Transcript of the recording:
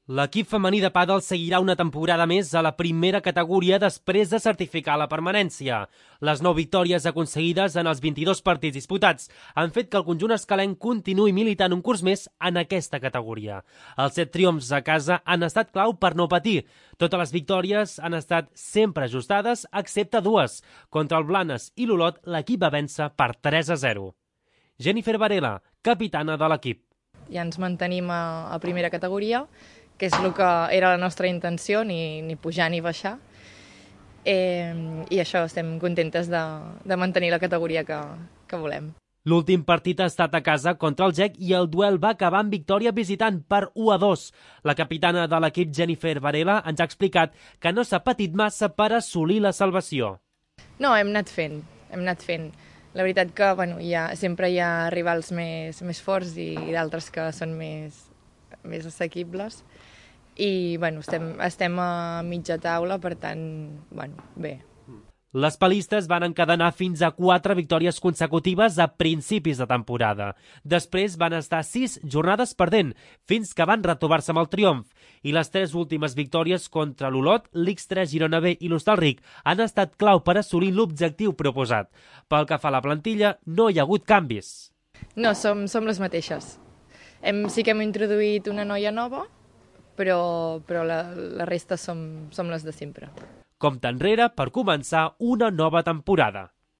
L'equip femení de pàdel seguirà una temporada més a la primera categoria després de certificar la permanència. Les 9 victòries aconseguides en els 22 partits disputats han fet que el conjunt escalenc continuï militant un curs més en aquesta categoria. Els 7 triomfs a casa han estat clau per no patir. Totes les victòries han estat sempre ajustades, excepte dues. Contra el Blanes i l'Olot, l'equip va vèncer per 3-0. Jennifer Varela, capitana de l'equip. Ja ens mantenim a primera categoria, que és el que era la nostra intenció, ni pujar ni baixar. I això, estem contentes de mantenir la categoria que volem. L'últim partit ha estat a casa contra el GEC i el duel va acabar amb victòria visitant per 1-2. La capitana de l'equip, Jennifer Varela, ens ha explicat que no s'ha patit massa per assolir la salvació. No, hem anat fent. La veritat que sempre hi ha rivals més forts i d'altres que són més assequibles. I estem a mitja taula, per tant, bé. Les palistes van encadenar fins a 4 victòries consecutives a principis de temporada. Després van estar 6 jornades perdent, fins que van retrobar-se amb el triomf. I les 3 últimes victòries contra l'Olot, l'X3 Girona B i l'Hostalric han estat clau per assolir l'objectiu proposat. Pel que fa a la plantilla, no hi ha hagut canvis. No, som les mateixes. Sí que hem introduït una noia nova, però la resta som les de sempre. Compte enrere per començar una nova temporada.